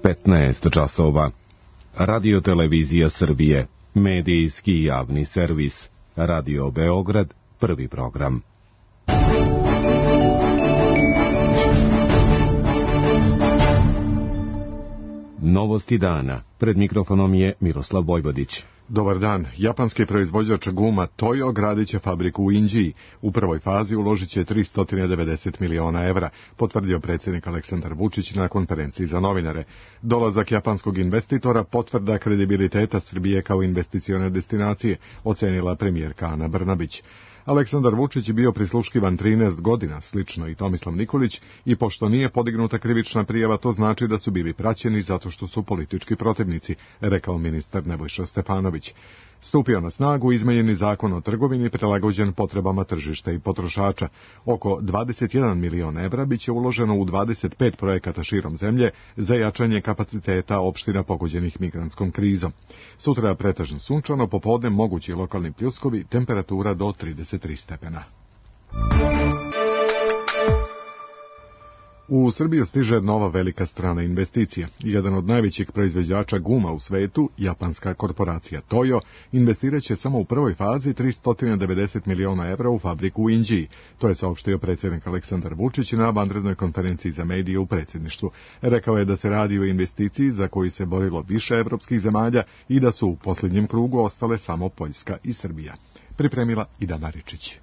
15 časova. Radio Televizija Srbije, medijski javni servis. Radio Beograd, prvi program. Novosti dana. Pred mikrofonom je Miroslav Vojvodić. Dobar dan. Japanski proizvođač guma Toyo gradit će fabriku u Inđiji. U prvoj fazi uložit će 390 miliona evra, potvrdio predsjednik Aleksandar Vučić na konferenciji za novinare. Dolazak japanskog investitora potvrda kredibiliteta Srbije kao investicione destinacije, ocenila premijerka Ana Brnabić. Aleksandar Vučić je bio prisluškivan 13 godina, slično i Tomislav Nikolić, i pošto nije podignuta krivična prijava, to znači da su bili praćeni zato što su politički protivnici, rekao ministar Nebojša Stefanović. Stupio na snagu izmenjeni zakon o trgovini prilagođen potrebama tržišta i potrošača. Oko 21 milion evra biće uloženo u 25 projekata širom zemlje za jačanje kapaciteta opština pogođenih migrantskom krizom. Sutra pretežno sunčano, popodne mogući lokalni pljuskovi, temperatura do 33 stepena. U Srbiju stiže nova velika strana investicija. Jedan od najvećih proizvođača guma u svetu, japanska korporacija Toyo, investirat će samo u prvoj fazi 390 miliona evra u fabriku u Inđiji. To je saopštio predsjednik Aleksandar Vučić na vanrednoj konferenciji za medije u predsjedništvu. Rekao je da se radi o investiciji za koju se borilo više evropskih zemalja i da su u posljednjem krugu ostale samo Poljska i Srbija. Pripremila Ida Maričić.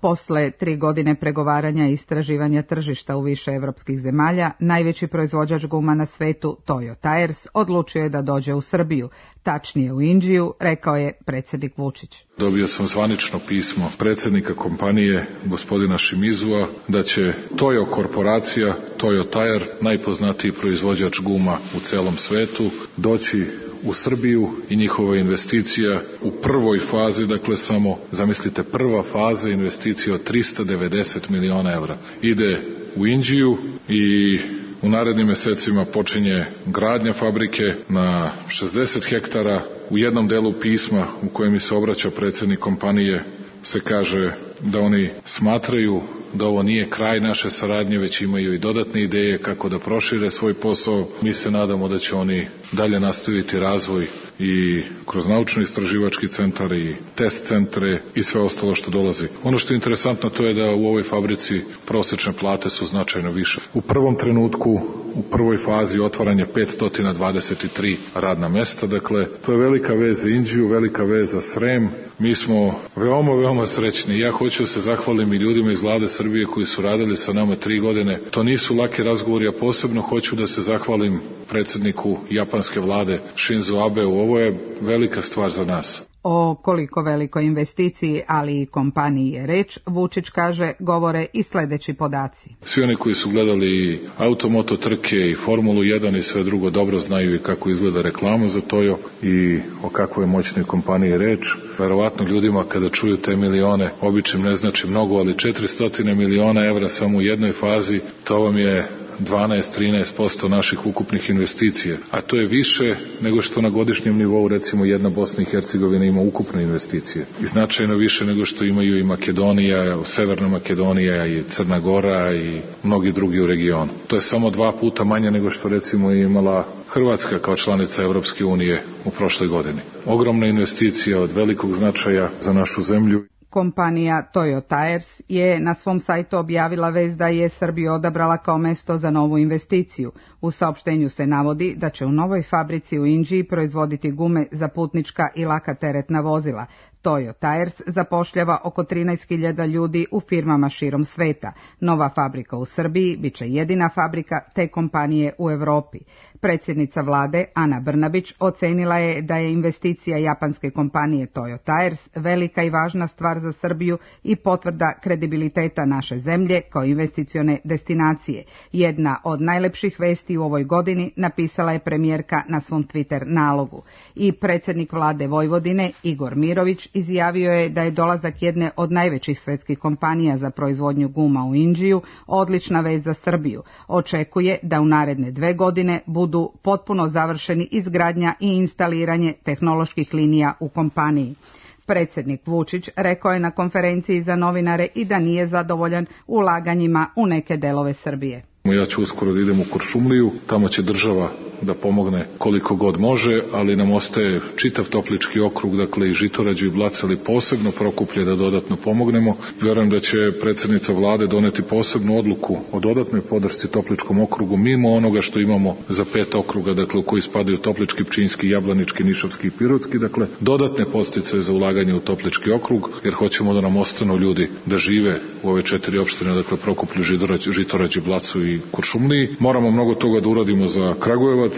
Posle 3 godine pregovaranja i istraživanja tržišta u više evropskih zemalja, najveći proizvođač guma na svetu, Toyo Tires, odlučio je da dođe u Srbiju, tačnije u Inđiju, rekao je predsjednik Vučić. Dobio sam zvanično pismo predsjednika kompanije, gospodina Shimizua, da će Toyo korporacija, Toyo Tire, najpoznatiji proizvođač guma u celom svetu, doći u Srbiju i njihova investicija u prvoj fazi, dakle samo, zamislite, prva faza investicije od 390 miliona evra. Ide u Inđiju i u narednim mesecima počinje gradnja fabrike na 60 hektara. U jednom delu pisma u kojem mi se obraća predsjednik kompanije se kaže da oni smatraju da ovo nije kraj naše saradnje, već imaju i dodatne ideje kako da prošire svoj posao. Mi se nadamo da će oni dalje nastaviti razvoj i kroz naučno-istraživački centar i test centre i sve ostalo što dolazi. Ono što je interesantno to je da u ovoj fabrici prosečne plate su značajno više. U prvom trenutku, u prvoj fazi otvaranje 523 radna mesta, dakle to je velika vez za Inđiju, velika vez za Srem. Mi smo veoma srećni. Ja hoću da se zahvalim i ljudima iz vlade Srbije koji su radili sa nama 3 godine. To nisu laki razgovori, a posebno hoću da se zahvalim predsjedniku japanske vlade Shinzo Abeu. Ovo je velika stvar za nas. O koliko velikoj investiciji, ali i kompaniji je reč, Vučić kaže, govore i sljedeći podaci. Svi oni koji su gledali automoto trke i Formulu 1 i sve drugo dobro znaju i kako izgleda reklama za Toyo i o kakvoj moćnoj kompaniji je reč. Verovatno ljudima kada čuju te milione, običnim ne znači mnogo, ali 400 miliona evra samo u jednoj fazi, to vam je 12-13% naših ukupnih investicija, a to je više nego što na godišnjem nivou recimo jedna Bosna i Hercegovina ima ukupne investicije i značajno više nego što imaju i Makedonija, Severna Makedonija i Crna Gora i mnogi drugi u regionu. To je samo 2 puta manje nego što recimo imala Hrvatska kao članica Evropske unije u prošloj godini. Ogromna investicija od velikog značaja za našu zemlju. Kompanija Toyo Tires je na svom sajtu objavila vest da je Srbiju odabrala kao mesto za novu investiciju. U saopštenju se navodi da će u novoj fabrici u Inđiji proizvoditi gume za putnička i laka teretna vozila. Toyo Tires zapošljava oko 13.000 ljudi u firmama širom sveta. Nova fabrika u Srbiji biće jedina fabrika te kompanije u Evropi. Predsjednica vlade Ana Brnabić ocenila je da je investicija japanske kompanije Toyo Tires velika i važna stvar za Srbiju i potvrda kredibiliteta naše zemlje kao investicione destinacije. Jedna od najlepših vesti u ovoj godini, napisala je premijerka na svom Twitter nalogu. I predsjednik vlade Vojvodine Igor Mirović izjavio je da je dolazak jedne od najvećih svetskih kompanija za proizvodnju guma u Inđiju odlična vez za Srbiju. Očekuje da u naredne 2 godine budu potpuno završeni izgradnja i instaliranje tehnoloških linija u kompaniji. Predsjednik Vučić rekao je na konferenciji za novinare i da nije zadovoljan ulaganjima u neke delove Srbije. Ja ću uskoro da idem u Kuršumliju, tamo će država da pomogne koliko god može, ali nam ostaje čitav Toplički okrug, dakle i Žitorađu i Blace, ali posebno Prokuplje da dodatno pomognemo. Vjerujem da će predsjednica vlade doneti posebnu odluku o dodatnoj podršci Topličkom okrugu mimo onoga što imamo za 5 okruga, dakle u koji spadaju Toplički, Pčinjski, Jablanički, Nišavski i Pirotski, dakle dodatne podsticaje za ulaganje u Toplički okrug, jer hoćemo da nam ostanu ljudi da žive u ove 4 opštine, dakle Prokuplju, Žitorađu, Blacu i Kuršumliji. Moramo mnogo toga da uradimo za Kragujevac,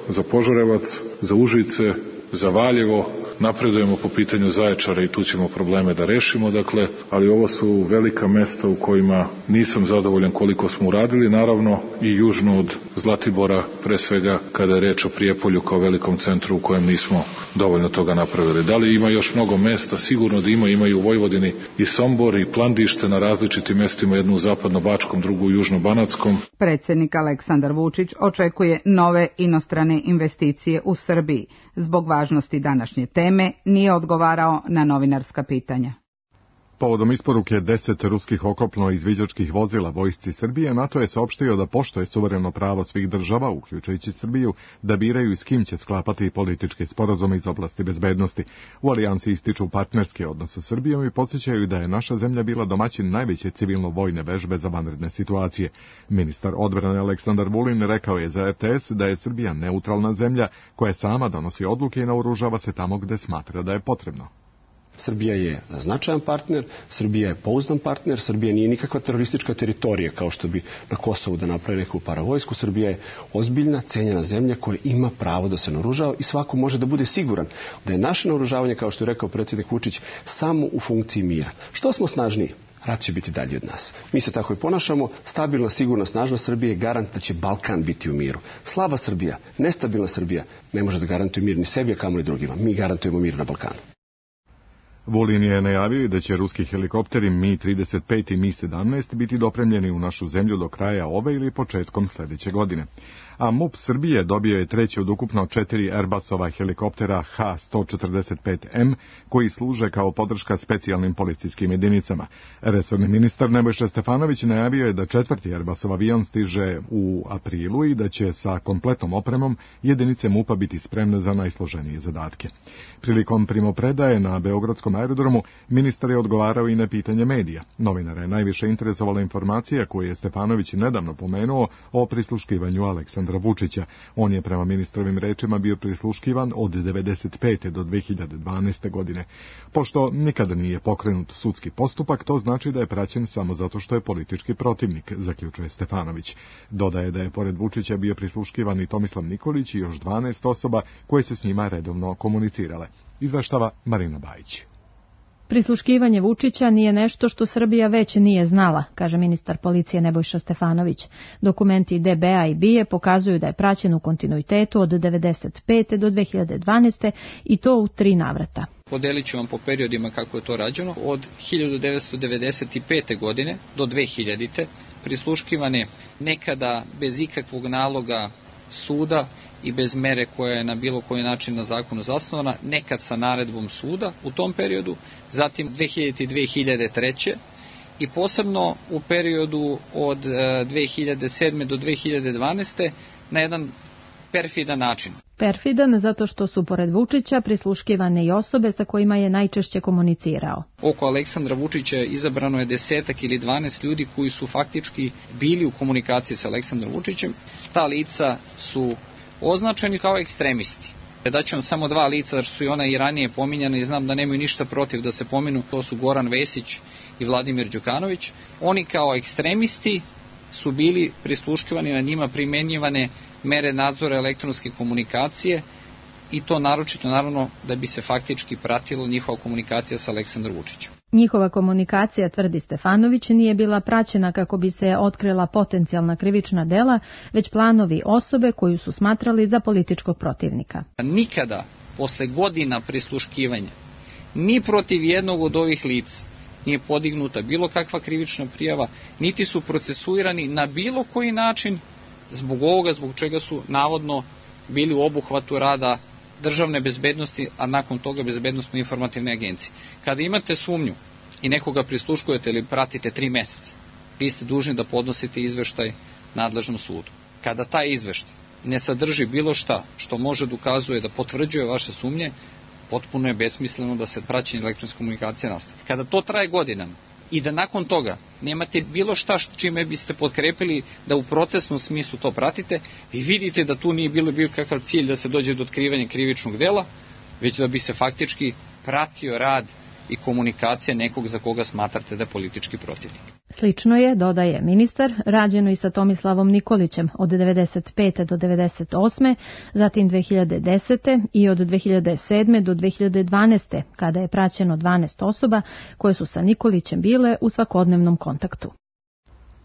za Požarevac, za Užice, za Valjevo, napredujemo po pitanju Zaječara i tu ćemo probleme da rešimo, dakle, ali ovo su velika mesta u kojima nisam zadovoljan koliko smo uradili, naravno i južno od Zlatibora, pre svega kada je reč o Prijepolju kao velikom centru u kojem nismo dovoljno toga napravili. Da li ima još mnogo mesta? Sigurno da ima i u Vojvodini i Sombor i Plandište na različitim mestima, jednu u Zapadno-Bačkom, drugu u Južno-Banatskom. Predsjednik Aleksandar Vučić očekuje nove inostrane investicije u Srbiji. Zbog važnosti današnje teme nije odgovarao na novinarska pitanja. Povodom isporuke 10 ruskih oklopno-izviđačkih vozila vojsci Srbije, NATO je saopštio da poštuje suvereno pravo svih država, uključujući Srbiju, da biraju i s kim će sklapati političke sporazume iz oblasti bezbednosti. U alijansi ističu partnerske odnose sa Srbijom i podsjećaju da je naša zemlja bila domaćin najveće civilno-vojne vežbe za vanredne situacije. Ministar odbrane Aleksandar Vulin rekao je za RTS da je Srbija neutralna zemlja koja sama donosi odluke i naoružava se tamo gde smatra da je potrebno. Srbija je značajan partner, Srbija je pouzdan partner, Srbija nije nikakva teroristička teritorija kao što bi na Kosovu da napravi neku paravojsku. Srbija je ozbiljna, cenjena zemlja koja ima pravo da se naoružava i svako može da bude siguran da je naše naoružavanje, kao što je rekao predsjednik Vučić, samo u funkciji mira. Što smo snažniji, rat će biti dalji od nas. Mi se tako i ponašamo. Stabilna, sigurna, snažna Srbija je garant da će Balkan biti u miru. Slaba Srbija, nestabilna Srbija ne može da garantuje mir ni sebi, a kamoli drugima. Mi garantujemo mir na Balkanu. Vulin je najavio da će ruski helikopteri Mi-35 i Mi-17 biti dopremljeni u našu zemlju do kraja ove ili početkom sljedeće godine. A MUP Srbije dobio je treći od ukupno 4 Airbusova helikoptera H-145M koji služe kao podrška specijalnim policijskim jedinicama. Resorni ministar Nebojša Stefanović najavio je da 4. Airbusov avion stiže u aprilu i da će sa kompletnom opremom jedinice MUP-a biti spremne za najsloženije zadatke. Prilikom primopredaje na Beogradskom aerodromu ministar je odgovarao i na pitanje medija. Novinara je najviše interesovala informacija koju je Stefanović nedavno pomenuo o prisluškivanju Aleksandra Vučića. On je prema ministrovim rečima bio prisluškivan od 1995. do 2012. godine. Pošto nikada nije pokrenut sudski postupak, to znači da je praćen samo zato što je politički protivnik, zaključuje Stefanović. Dodaje da je pored Vučića bio prisluškivan i Tomislav Nikolić i još 12 osoba koje su s njima redovno komunicirale. Izveštava Marina Bajić. Prisluškivanje Vučića nije nešto što Srbija već nije znala, kaže ministar policije Nebojša Stefanović. Dokumenti DBA i BIA pokazuju da je praćen u kontinuitetu od 1995. do 2012. i to u 3 navrata. Podelit ću vam po periodima kako je to rađeno. Od 1995. godine do 2000. prisluškivan je nekada bez ikakvog naloga suda i bez mere koja je na bilo koji način na zakonu zasnovana, nekad sa naredbom suda u tom periodu, zatim 2000. i 2003. i posebno u periodu od 2007. do 2012. na jedan perfidan način. Perfidan zato što su pored Vučića prisluškivane i osobe sa kojima je najčešće komunicirao. Oko Aleksandra Vučića izabrano je 10 ili 12 ljudi koji su faktički bili u komunikaciji sa Aleksandrom Vučićem. Ta lica su označeni kao ekstremisti. Daću vam samo 2 lica, jer su i ona i ranije pominjane i znam da nemaju ništa protiv da se pominu. To su Goran Vesić i Vladimir Đukanović. Oni kao ekstremisti su bili prisluškivani, na njima primenjivane mere nadzora elektronske komunikacije i to naročito naravno da bi se faktički pratilo njihova komunikacija sa Aleksandrom Vučićem. Njihova komunikacija, tvrdi Stefanović, nije bila praćena kako bi se otkrila potencijalna krivična dela, već planovi osobe koju su smatrali za političkog protivnika. Nikada, posle godina prisluškivanja, ni protiv jednog od ovih lica nije podignuta bilo kakva krivična prijava, niti su procesuirani na bilo koji način zbog ovoga, zbog čega su navodno bili u obuhvatu rada državne bezbednosti, a nakon toga bezbednosno-informativne agencije. Kada imate sumnju i nekoga prisluškujete ili pratite 3 meseca, vi ste dužni da podnosite izveštaj nadležnom sudu. Kada taj izveštaj ne sadrži bilo šta što može dokazuje da potvrđuje vaše sumnje, potpuno je besmisleno da se praćenje elektronske komunikacije nastavi. Kada to traje godinama i da nakon toga nemate bilo šta čime biste potkrepili da u procesnom smislu to pratite, vi vidite da tu nije bilo kakav cilj da se dođe do otkrivanja krivičnog dela, već da bi se faktički pratio rad i komunikacija nekog za koga smatrate da je politički protivnik. Slično je, dodaje ministar, rađeno i sa Tomislavom Nikolićem od 1995. do 1998. zatim 2010. i od 2007. do 2012. kada je praćeno 12 osoba koje su sa Nikolićem bile u svakodnevnom kontaktu.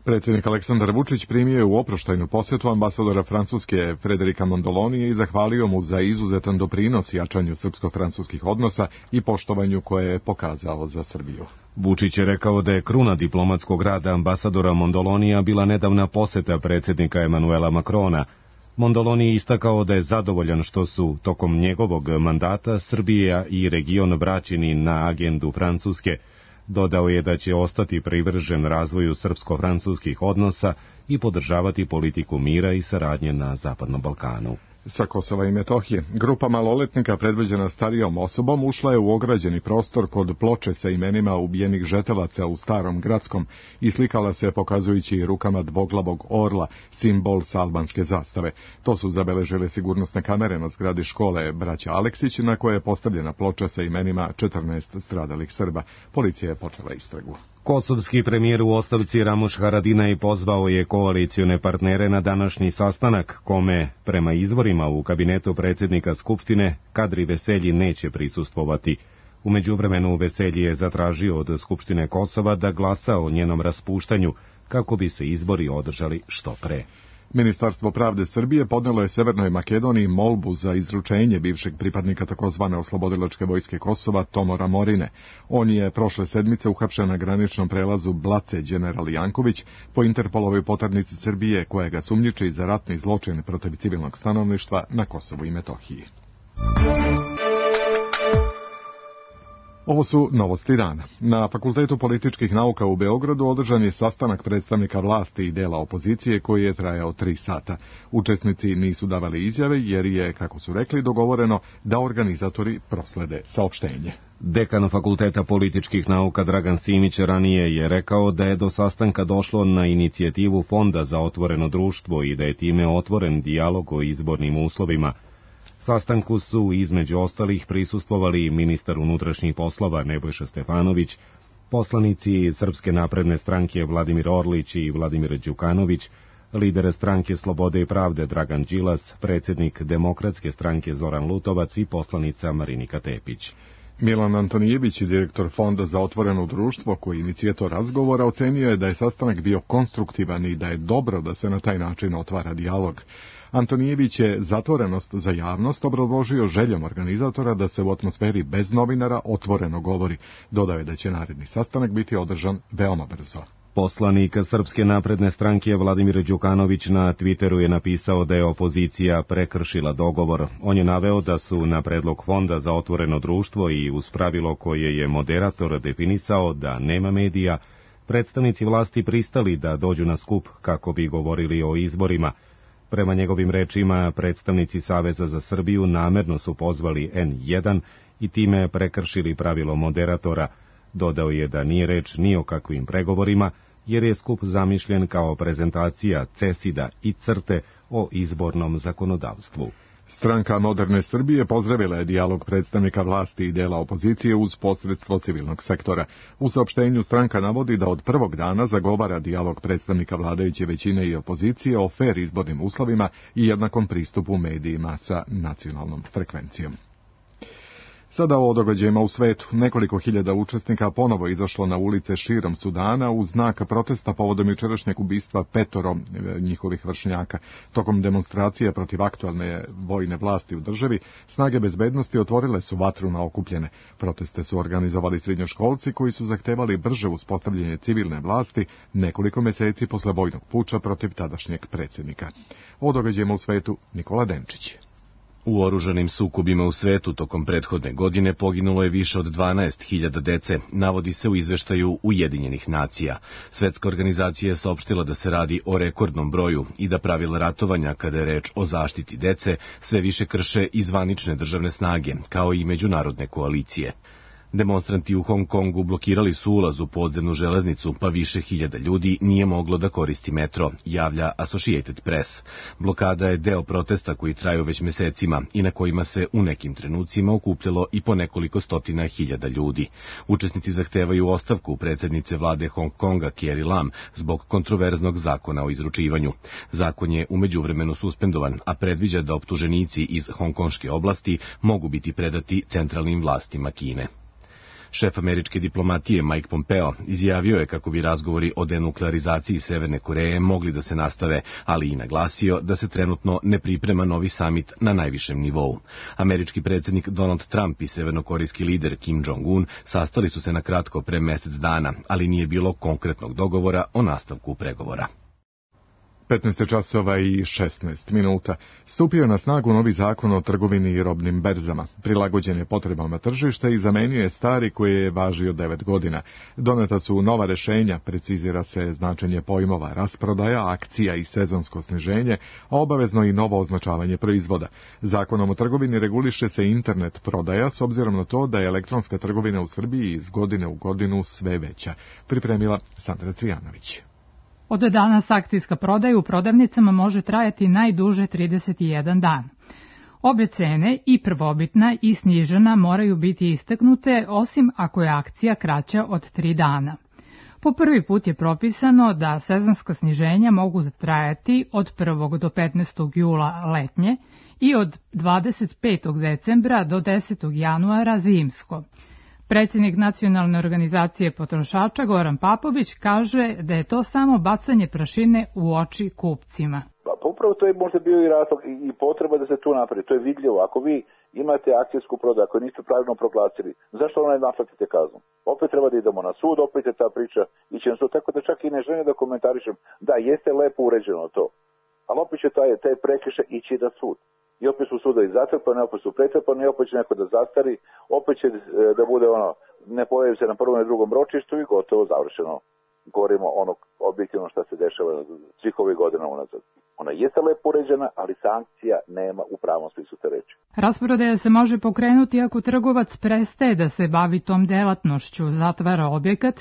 Predsjednik Aleksandar Vučić primio je u oproštajnu posjetu ambasadora Francuske Frederika Mondolonija i zahvalio mu za izuzetan doprinos jačanju srpsko-francuskih odnosa i poštovanju koje je pokazao za Srbiju. Vučić je rekao da je kruna diplomatskog rada ambasadora Mondolonija bila nedavna poseta predsjednika Emanuela Macrona. Mondoloni je istakao da je zadovoljan što su tokom njegovog mandata Srbija i region vraćeni na agendu Francuske. Dodao je da će ostati privržen razvoju srpsko-francuskih odnosa i podržavati politiku mira i saradnje na Zapadnom Balkanu. Sa Kosova i Metohije, grupa maloletnika predvođena starijom osobom ušla je u ograđeni prostor kod ploče sa imenima ubijenih žetelaca u Starom Gradskom i slikala se pokazujući rukama dvoglavog orla, simbol sa albanske zastave. To su zabeležile sigurnosne kamere na zgradi škole Braća Aleksić, na koje je postavljena ploča sa imenima 14 stradalih Srba. Policija je počela istragu. Kosovski premijer u ostavci Ramuš Haradinaj pozvao je koalicione partnere na današnji sastanak, kome, prema izvorima u kabinetu predsjednika Skupštine, Kadri Veselji neće prisustvovati. U međuvremenu Veselji je zatražio od Skupštine Kosova da glasa o njenom raspuštanju, kako bi se izbori održali što pre. Ministarstvo pravde Srbije podnelo je Severnoj Makedoniji molbu za izručenje bivšeg pripadnika takozvane oslobodilačke vojske Kosova Tomora Morine. On je prošle sedmice uhapšen na graničnom prelazu Blace General Janković po Interpolovoj poternici Srbije, koja ga sumnjiči za ratni zločin protiv civilnog stanovništva na Kosovu i Metohiji. Ovo su novosti dana. Na Fakultetu političkih nauka u Beogradu održan je sastanak predstavnika vlasti i dela opozicije koji je trajao 3 sata. Učesnici nisu davali izjave jer je, kako su rekli, dogovoreno da organizatori proslede saopštenje. Dekan Fakulteta političkih nauka Dragan Simić ranije je rekao da je do sastanka došlo na inicijativu Fonda za otvoreno društvo i da je time otvoren dijalog o izbornim uslovima. Sastanku su između ostalih prisustvovali ministar unutrašnjih poslova Nebojša Stefanović, poslanici Srpske napredne stranke Vladimir Orlić i Vladimir Đukanović, lider stranke Slobode i pravde Dragan Đilas, predsjednik Demokratske stranke Zoran Lutovac i poslanica Marinika Tepić. Milan Antonijević, direktor Fonda za otvoreno društvo, koji je inicijator razgovora, ocenio je da je sastanak bio konstruktivan i da je dobro da se na taj način otvara dijalog. Antonijević je zatvorenost za javnost obrazložio željom organizatora da se u atmosferi bez novinara otvoreno govori. Dodao je da će naredni sastanak biti održan veoma brzo. Poslanik Srpske napredne stranke Vladimir Đukanović na Twitteru je napisao da je opozicija prekršila dogovor. On je naveo da su na predlog Fonda za otvoreno društvo i uz pravilo koje je moderator definisao da nema medija, predstavnici vlasti pristali da dođu na skup kako bi govorili o izborima. Prema njegovim rečima, predstavnici Saveza za Srbiju namerno su pozvali N1 i time prekršili pravilo moderatora. Dodao je da nije reč ni o kakvim pregovorima, jer je skup zamišljen kao prezentacija CESID-a i CRTE o izbornom zakonodavstvu. Stranka Moderne Srbije pozdravila je dijalog predstavnika vlasti i dela opozicije uz posredstvo civilnog sektora. U saopštenju stranka navodi da od prvog dana zagovara dijalog predstavnika vladajuće većine i opozicije o fer izbornim uslovima i jednakom pristupu medijima sa nacionalnom frekvencijom. Sada o događajima u svetu. Nekoliko hiljada učesnika ponovo izašlo na ulice širom Sudana u znak protesta povodom jučerašnjeg ubistva 5 njihovih vršnjaka. Tokom demonstracije protiv aktualne vojne vlasti u državi, snage bezbednosti otvorile su vatru na okupljene. Proteste su organizovali srednjoškolci koji su zahtevali brže uspostavljanje civilne vlasti nekoliko meseci posle vojnog puča protiv tadašnjeg predsjednika. O događajima u svetu Nikola Denčić. U oružanim sukobima u svetu tokom prethodne godine poginulo je više od 12.000 dece, navodi se u izveštaju Ujedinjenih nacija. Svetska organizacija je saopštila da se radi o rekordnom broju i da pravila ratovanja kada je reč o zaštiti dece sve više krše i zvanične državne snage, kao i međunarodne koalicije. Demonstranti u Hong Kongu blokirali su ulaz u podzemnu železnicu, pa više hiljada ljudi nije moglo da koristi metro, javlja Associated Press. Blokada je deo protesta koji traju već mesecima i na kojima se u nekim trenucima okupljalo i po nekoliko stotina hiljada ljudi. Učesnici zahtevaju ostavku predsjednice vlade Hong Konga Carrie Lam zbog kontroverznog zakona o izručivanju. Zakon je u međuvremenu suspendovan, a predviđa da optuženici iz hongkonške oblasti mogu biti predati centralnim vlastima Kine. Šef američke diplomatije Mike Pompeo izjavio je kako bi razgovori o denuklearizaciji Severne Koreje mogli da se nastave, ali i naglasio da se trenutno ne priprema novi samit na najvišem nivou. Američki predsjednik Donald Trump i severnokorejski lider Kim Jong-un sastali su se na kratko pre mesec dana, ali nije bilo konkretnog dogovora o nastavku pregovora. 15 časova i 16 minuta. Stupio je na snagu novi zakon o trgovini i robnim berzama. Prilagođen je potrebama tržišta i zamenio je stari koji je važio 9 godina. Doneta su nova rešenja, precizira se značenje pojmova rasprodaja, akcija i sezonsko sniženje, a obavezno i novo označavanje proizvoda. Zakonom o trgovini reguliše se internet prodaja s obzirom na to da je elektronska trgovina u Srbiji iz godine u godinu sve veća. Pripremila Sandra Cvijanović. Od danas akcijska prodaja u prodavnicama može trajati najduže 31 dan. Obe cene, i prvobitna i snižena, moraju biti istaknute, osim ako je akcija kraća od 3 dana. Po prvi put je propisano da sezonska sniženja mogu trajati od 1. do 15. jula letnje i od 25. decembra do 10. januara zimsko. Predsjednik Nacionalne organizacije potrošača Goran Papović kaže da je to samo bacanje prašine u oči kupcima. Pa upravo to je možda bio i razlog i potreba da se tu napravi. To je vidljivo. Ako vi imate akcijsku prodaju, ako niste pravilno proglasili, zašto ne naplatite kaznu? Opet treba da idemo na sud, opet je ta priča ići na sud. Tako da čak i ne želim da komentarišem. Da, jeste lepo uređeno to. Ali opet će taj prekršaj ići na sud. I opet su sudovi zatrpani, opet su pretrpani, opet će neko da zastari, opet će da bude ne pojavi se na prvom i drugom ročištu i gotovo završeno. Govorimo objektivno šta se dešava svih ovih godina unazad. Ona jeste lepo uređena, ali sankcija nema u pravom smislu te reči. Rasprodaja se može pokrenuti ako trgovac prestaje da se bavi tom delatnošću, zatvara objekat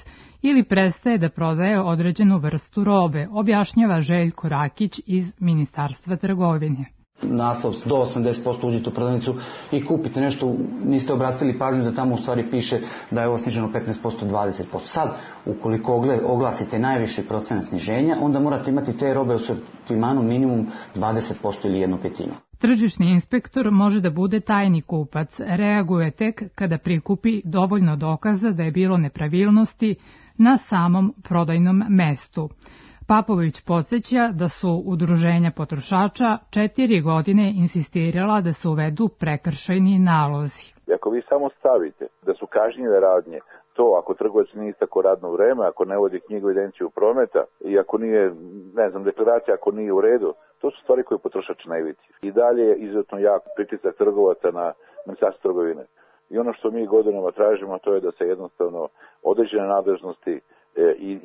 ili prestaje da prodaje određenu vrstu robe, objašnjava Željko Rakić iz Ministarstva trgovine. Naslov do 80% uđete u prodavnicu i kupite nešto, niste obratili pažnju da tamo u stvari piše da je ovo sniženo 15%, 20%. Sad, ukoliko oglasite najviši procenat sniženja, onda morate imati te robe u sortimanu minimum 20% ili 1/5. Tržišni inspektor može da bude tajni kupac, reaguje tek kada prikupi dovoljno dokaza da je bilo nepravilnosti na samom prodajnom mestu. Papović podsjeća da su udruženja potrošača 4 godine insistirala da se uvedu prekršajni nalozi. Ako vi samo stavite da su kažnjive radnje, to ako trgovac nije istako radno vreme, ako ne vodi knjigu evidenciju prometa i ako nije, deklaracija ako nije u redu, to su stvari koje potrošač ne vidi. I dalje je izuzetno jak pritisak trgovaca na Ministarstvo trgovine. I ono što mi godinama tražimo, to je da se jednostavno određene nadležnosti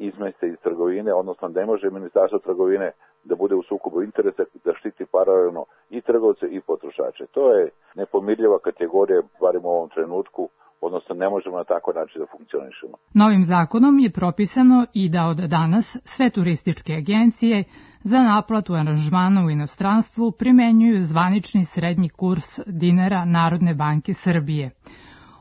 izmeste iz trgovine, odnosno ne može Ministarstvo trgovine da bude u sukobu interesa, da štiti paralelno i trgovce i potrošače. To je nepomirljiva kategorija, barem u ovom trenutku, odnosno ne možemo na takav način da funkcionišemo. Novim zakonom je propisano i da od danas sve turističke agencije za naplatu aranžmana u inostranstvu primenjuju zvanični srednji kurs dinara Narodne banke Srbije.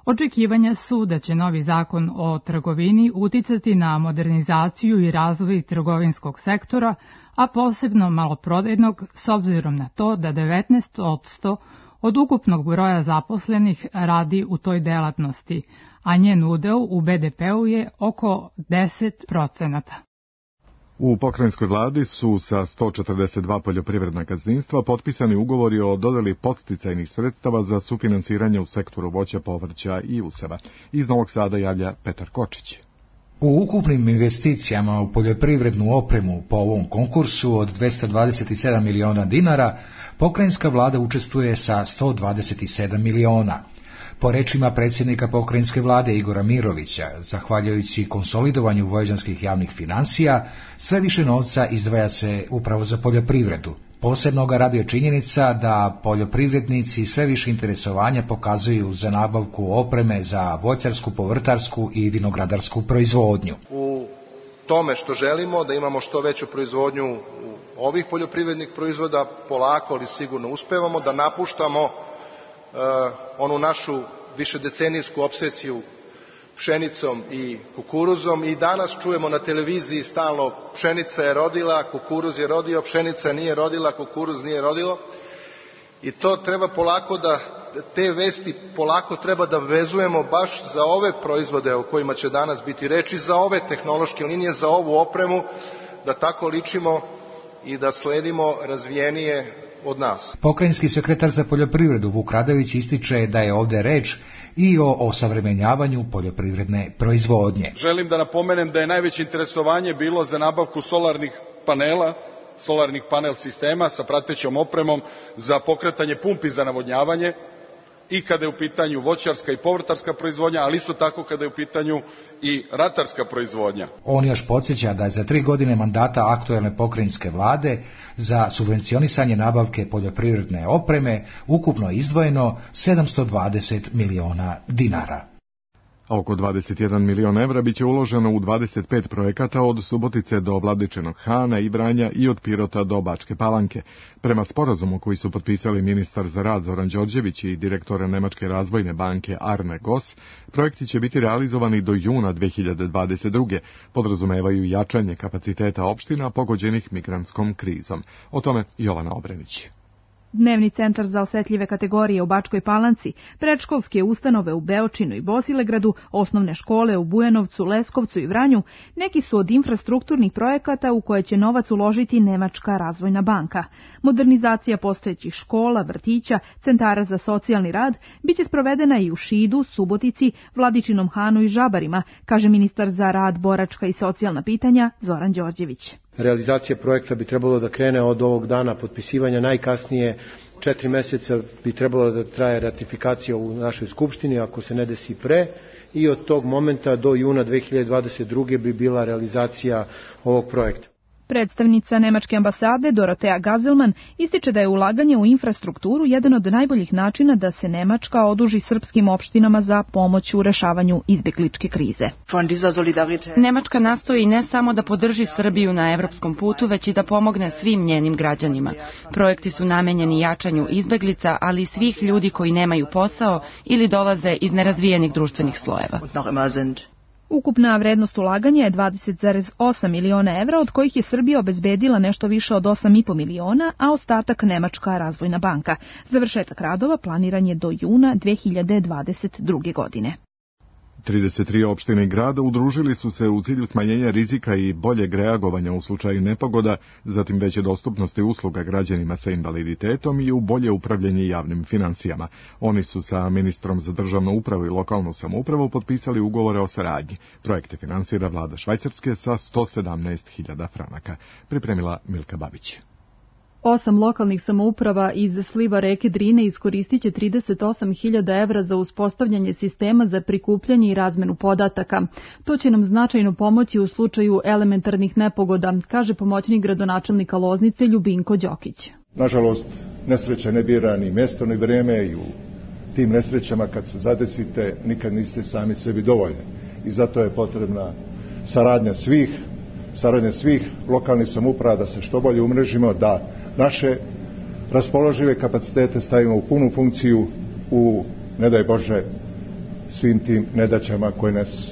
Očekivanja su da će novi zakon o trgovini uticati na modernizaciju i razvoj trgovinskog sektora, a posebno maloprodajnog, s obzirom na to da 19% od ukupnog broja zaposlenih radi u toj delatnosti, a njen udeo u BDP-u je oko 10%. U pokrajinskoj vladi su sa 142 poljoprivredna gazdinstva potpisani ugovori o dodeli podsticajnih sredstava za sufinansiranje u sektoru voća, povrća i useva. Iz Novog Sada javlja Petar Kočić. U ukupnim investicijama u poljoprivrednu opremu po ovom konkursu od 227 miliona dinara, pokrajinska vlada učestvuje sa 127 miliona. Po rečima predsjednika pokrajinske vlade Igora Mirovića, zahvaljujući konsolidovanju vojvođanskih javnih financija, sve više novca izdvaja se upravo za poljoprivredu. Posebno ga raduje činjenica da poljoprivrednici sve više interesovanja pokazuju za nabavku opreme za voćarsku, povrtarsku i vinogradarsku proizvodnju. U tome što želimo da imamo što veću proizvodnju ovih poljoprivrednih proizvoda, polako ali sigurno uspevamo da napuštamo onu našu višedecenijsku opsesiju pšenicom i kukuruzom i danas čujemo na televiziji stalno pšenica je rodila, kukuruz je rodio, pšenica nije rodila, kukuruz nije rodilo i to treba polako da, te vesti polako treba da vezujemo baš za ove proizvode o kojima će danas biti reči, za ove tehnološke linije, za ovu opremu, da tako ličimo i da sledimo razvijenije od nas. Pokrajinski sekretar za poljoprivredu Vuk Radović ističe da je ovdje reč i o osavremenjavanju poljoprivredne proizvodnje. Želim da napomenem da je najveće interesovanje bilo za nabavku solarnih panela, solarnih panel sistema sa pratećom opremom za pokretanje pumpi za navodnjavanje i kada je u pitanju voćarska i povrtarska proizvodnja, ali isto tako kada je u pitanju i ratarska proizvodnja. On još podsjeća da je za 3 godine mandata aktuelne pokrajinske vlade za subvencionisanje nabavke poljoprivredne opreme ukupno izdvojeno 720 miliona dinara. A oko 21 milion evra biće uloženo u 25 projekata od Subotice do Vladičenog Hana i Vranja i od Pirota do Bačke Palanke. Prema sporazumu koji su potpisali ministar za rad Zoran Đorđević i direktor Nemačke razvojne banke Arne Goss, projekti će biti realizovani do juna 2022. Podrazumevaju jačanje kapaciteta opština pogođenih migrantskom krizom. O tome Jovana Obrenić. Dnevni centar za osetljive kategorije u Bačkoj Palanci, predškolske ustanove u Beočinu i Bosilegradu, osnovne škole u Bujanovcu, Leskovcu i Vranju, neki su od infrastrukturnih projekata u koje će novac uložiti Nemačka razvojna banka. Modernizacija postojećih škola, vrtića, centara za socijalni rad biće sprovedena i u Šidu, Subotici, Vladičinom Hanu i Žabarima, kaže ministar za rad, boračka i socijalna pitanja Zoran Đorđević. Realizacija projekta bi trebalo da krene od ovog dana potpisivanja, najkasnije 4 meseca bi trebalo da traje ratifikacija u našoj skupštini, ako se ne desi pre, i od tog momenta do juna 2022. bi bila realizacija ovog projekta. Predstavnica Nemačke ambasade Dorotea Gazelman ističe da je ulaganje u infrastrukturu jedan od najboljih načina da se Nemačka oduži srpskim opštinama za pomoć u rešavanju izbjegličke krize. Nemačka nastoji ne samo da podrži Srbiju na evropskom putu, već i da pomogne svim njenim građanima. Projekti su namenjeni jačanju izbjeglica, ali i svih ljudi koji nemaju posao ili dolaze iz nerazvijenih društvenih slojeva. Ukupna vrednost ulaganja je 20,8 miliona evra, od kojih je Srbija obezbedila nešto više od 8,5 miliona, a ostatak Nemačka razvojna banka. Završetak radova planiran je do juna 2022. godine. 33 opštine i grada udružili su se u cilju smanjenja rizika i boljeg reagovanja u slučaju nepogoda, zatim veće dostupnosti usluga građanima sa invaliditetom i u bolje upravljanje javnim financijama. Oni su sa ministrom za državnu upravu i lokalnu samoupravu potpisali ugovore o saradnji. Projekte finansira vlada Švajcarske sa 117.000 franaka. Pripremila Milka Babić. 8 lokalnih samouprava iz sliva reke Drine iskoristit će 38.000 evra za uspostavljanje sistema za prikupljanje i razmenu podataka. To će nam značajno pomoći u slučaju elementarnih nepogoda, kaže pomoćnik gradonačelnika Loznice Ljubinko Đokić. Nažalost, nesreća ne bira ni mjesto ni vrijeme i u tim nesrećama kad se zadesite nikad niste sami sebi dovoljni. I zato je potrebna saradnja svih lokalnih samouprava da se što bolje umrežimo, da naše raspoložive kapacitete stavimo u punu funkciju u, ne daj Bože, svim tim nedaćama koje nas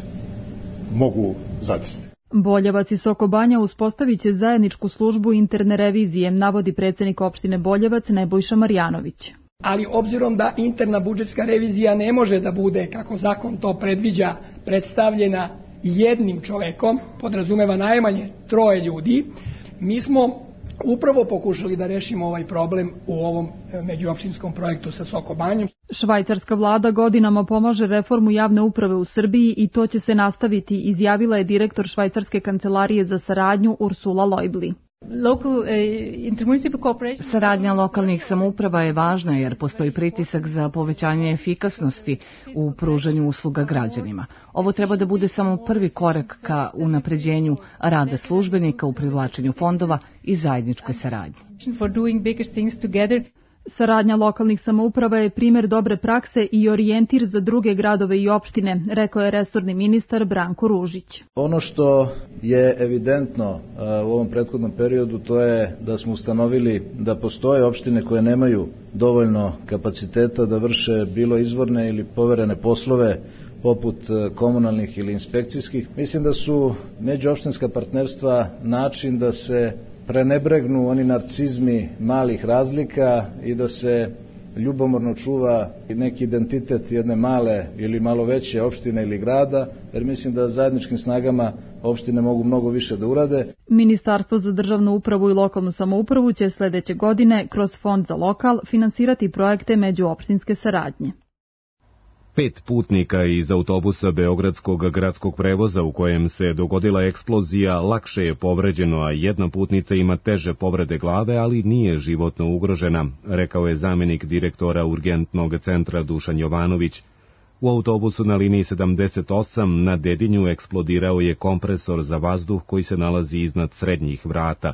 mogu zadesiti. Boljevac i Soko Banja uspostavit će zajedničku službu interne revizije, navodi predsjednik opštine Boljevac Nebojša Marjanović. Ali obzirom da interna budžetska revizija ne može da bude, kako zakon to predviđa, predstavljena jednim čovekom, podrazumeva najmanje 3 ljudi, mi smo upravo pokušali da rešimo ovaj problem u ovom međuopštinskom projektu sa Soko Banjom. Švajcarska vlada godinama pomaže reformu javne uprave u Srbiji i to će se nastaviti, izjavila je direktor Švajcarske kancelarije za saradnju Ursula Leubli. Saradnja lokalnih samouprava je važna jer postoji pritisak za povećanje efikasnosti u pružanju usluga građanima. Ovo treba da bude samo prvi korak ka unapređenju rada službenika u privlačenju fondova i zajedničkoj saradnji. Saradnja lokalnih samouprava je primjer dobre prakse i orijentir za druge gradove i opštine, rekao je resorni ministar Branko Ružić. Ono što je evidentno u ovom prethodnom periodu, to je da smo ustanovili da postoje opštine koje nemaju dovoljno kapaciteta da vrše bilo izvorne ili poverene poslove poput komunalnih ili inspekcijskih. Mislim da su međuopštinska partnerstva način da se prenebregnu oni narcizmi malih razlika i da se ljubomorno čuva neki identitet jedne male ili malo veće opštine ili grada, jer mislim da zajedničkim snagama opštine mogu mnogo više da urade. Ministarstvo za državnu upravu i lokalnu samoupravu će sledeće godine kroz Fond za lokal finansirati projekte međuopštinske saradnje. 5 putnika iz autobusa Beogradskog gradskog prevoza u kojem se dogodila eksplozija lakše je povređeno, a jedna putnica ima teže povrede glave, ali nije životno ugrožena, rekao je zamenik direktora urgentnog centra Dušan Jovanović. U autobusu na liniji 78 na Dedinju eksplodirao je kompresor za vazduh koji se nalazi iznad srednjih vrata.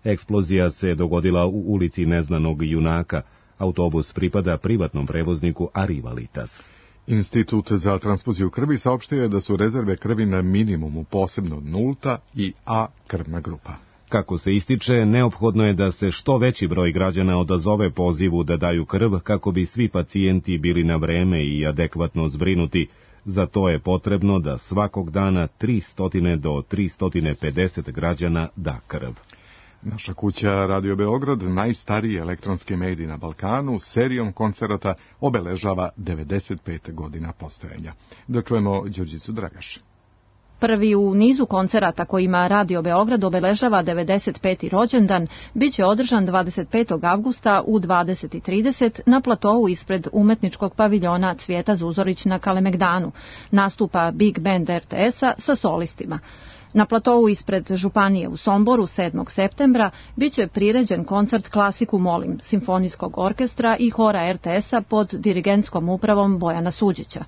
Eksplozija se dogodila u ulici Neznanog junaka. Autobus pripada privatnom prevozniku Arivalitas. Institut za transfuziju krvi saopštio je da su rezerve krvi na minimumu, posebno nulta i A krvna grupa. Kako se ističe, neophodno je da se što veći broj građana odazove pozivu da daju krv kako bi svi pacijenti bili na vreme i adekvatno zbrinuti. Za to je potrebno da svakog dana 300 do 350 građana da krv. Naša kuća Radio Beograd, najstariji elektronski medij na Balkanu, serijom koncerata obeležava 95 godina postojanja. Da čujemo Đurđicu Dragaš. Prvi u nizu koncerata kojima Radio Beograd obeležava 95. rođendan biće održan 25. avgusta u 20:30 na platovu ispred umetničkog paviljona Cvijeta Zuzorić na Kalemegdanu. Nastupa Big Band RTS-a sa solistima. Na platovu ispred Županije u Somboru 7. septembra biće priređen koncert Klasiku molim simfonijskog orkestra i hora RTS-a pod dirigentskom upravom Bojana Suđića.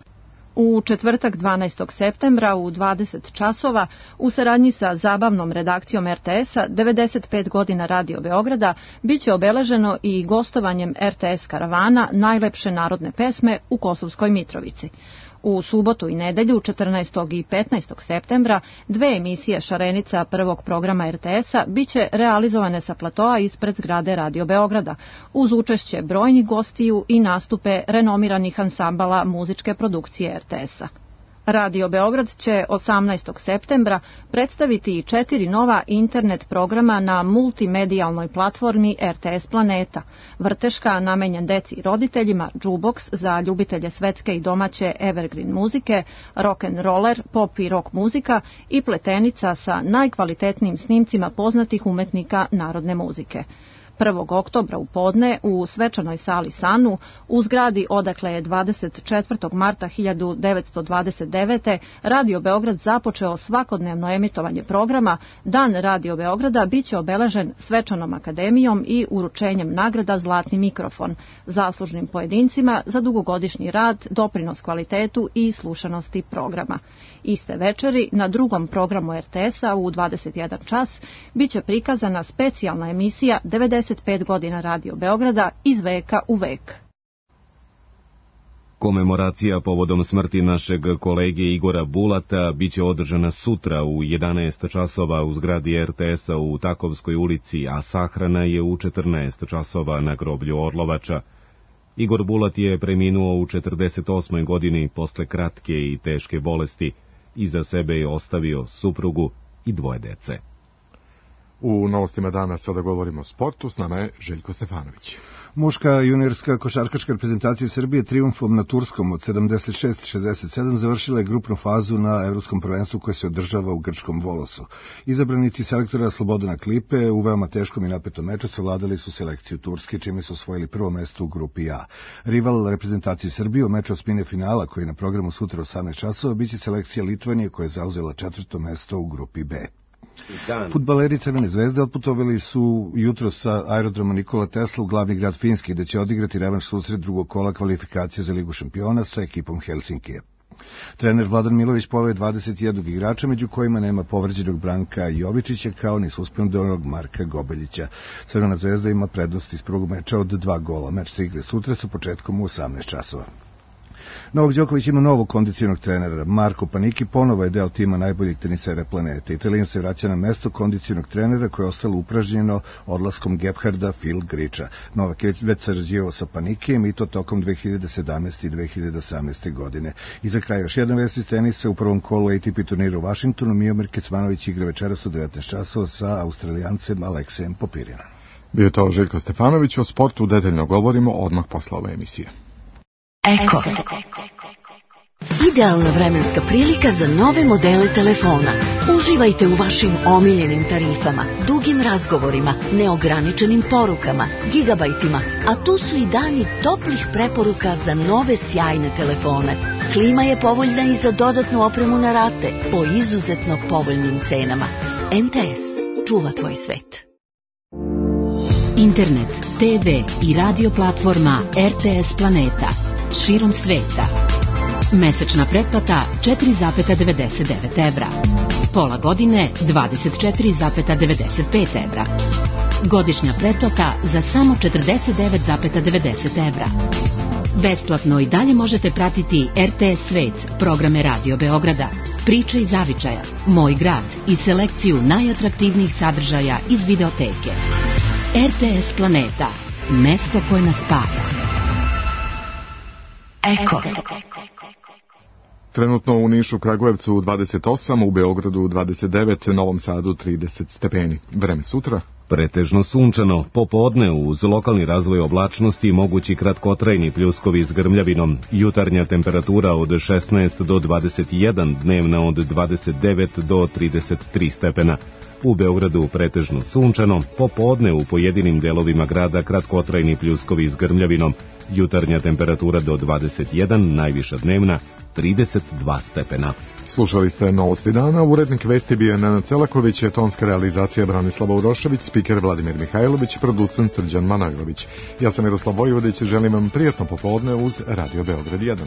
U četvrtak 12. septembra u 20 časova u saradnji sa zabavnom redakcijom RTS-a 95 godina Radio Beograda biće obeleženo i gostovanjem RTS karavana Najlepše narodne pesme u Kosovskoj Mitrovici. U subotu i nedelju 14. i 15. septembra 2 emisije Šarenica prvog programa RTS-a biće realizovane sa platoa ispred zgrade Radio Beograda, uz učešće brojnih gostiju i nastupe renomiranih ansambala muzičke produkcije RTS-a. Radio Beograd će 18. septembra predstaviti 4 nova internet programa na multimedijalnoj platformi RTS Planeta. Vrteška namenjen deci i roditeljima, Jukebox za ljubitelje svetske i domaće evergreen muzike, rock'n'roller, pop i rock muzika i pletenica sa najkvalitetnijim snimcima poznatih umetnika narodne muzike. 1. oktobra u podne u svečanoj sali Sanu u zgradi odakle je 24. marta 1929. Radio Beograd započeo svakodnevno emitovanje programa. Dan Radio Beograda biće obeležen svečanom akademijom i uručenjem nagrada Zlatni mikrofon zaslužnim pojedincima za dugogodišnji rad, doprinos kvalitetu i slušanosti programa. Iste večeri na drugom programu RTS-a u 21 čas biće prikazana specijalna emisija 95 godina Radio Beograda iz veka u vek. Komemoracija povodom smrti našeg kolege Igora Bulata biće održana sutra u 11 časova u zgradi RTS-a u Takovskoj ulici, a sahrana je u 14 časova na groblju Orlovača. Igor Bulat je preminuo u 48. godini posle kratke i teške bolesti. Iza sebe je ostavio suprugu i 2 dece. U novostima dana sada govorimo o sportu, s nama je Željko Stefanović. Muška juniorska košarkaška reprezentacija Srbije trijumfom na Turskom od 76-67 završila je grupnu fazu na Evropskom prvenstvu koje se održava u grčkom Volosu. Izabranici selektora Slobodana Klipe u veoma teškom i napetom meču savladali su selekciju Turske, čime su osvojili prvo mesto u grupi A. Rival reprezentacije Srbije u meču osmine finala, koji je na programu sutra 18 časova, biće selekcija Litvanije koja je zauzela četvrto mesto u grupi B. Fudbaleri Crvene zvezde otputovali su jutro sa aerodroma Nikola Tesla u glavni grad Finski, gde će odigrati revanš susret drugog kola kvalifikacije za Ligu šampiona sa ekipom Helsinkija. Trener Vladan Milović poveo 21 igrača, među kojima nema povređenog Branka Jovičića, kao ni suspendovanog Marka Gobeljića. Crvena zvezda ima prednost iz prvog meča od 2 gola. Meč se igra sutra sa početkom u 18 časova. Novak Đoković ima novog kondicionog trenera. Marko Paniki ponovo je deo tima najboljih tenisera planete. Italijan se vraća na mesto kondicionog trenera koje je ostalo upražnjeno odlaskom Gebharda Phil Griča. Novak je već sarađivao sa Panikijem i to tokom 2017. i 2018. godine. I za kraj još jedan vest iz tenisa. U prvom kolu ATP turnira u Vašingtonu Miomir Kecmanović igra večeras u 19 časova sa Australijancem Aleksejem Popirinom. Bio to Željko Stefanović. O sportu detaljno govorimo odmah posle ove emisije. Eko. Idealna vremenska prilika za nove modele telefona. Uživajte u vašim omiljenim tarifama, dugim razgovorima, neograničenim porukama, gigabajtima, a tu su i dani toplih preporuka za nove sjajne telefone. Klima je povoljna i za dodatnu opremu na rate po izuzetno povoljnim cenama. MTS. Čuva tvoj svet. Internet, TV i radio platforma RTS Planeta. Širom sveta. Mesečna pretplata 4,99 evra. Pola godine 24,95 evra. Godišnja pretplata za samo 49,90 evra. Besplatno i dalje možete pratiti RTS Svet, programe Radio Beograda, Priče iz Zavičaja, Moj grad i selekciju najatraktivnijih sadržaja iz videoteke. RTS Planeta. Mesto koje nas spaja. Eko. Trenutno u Nišu, Kragujevcu 28, u Beogradu 29, Novom Sadu 30 stepeni. Vreme sutra? Pretežno sunčano, popodne uz lokalni razvoj oblačnosti mogući kratkotrajni pljuskovi s grmljavinom, jutarnja temperatura od 16 do 21, dnevna od 29 do 33 stepena. U Beogradu pretežno sunčano, popodne u pojedinim delovima grada kratkotrajni pljuskovi s grmljavinom, jutarnja temperatura do 21, najviša dnevna 32 stepena. Slušali ste Novosti dana, urednik vesti bio Nenad Celaković, tonska realizacija Branislava Urošević, spiker Vladimir Mihajlović i producent Srđan Manojlović. Ja sam Miroslav Vojvodić, želim vam prijatno popodne uz Radio Beograd 1.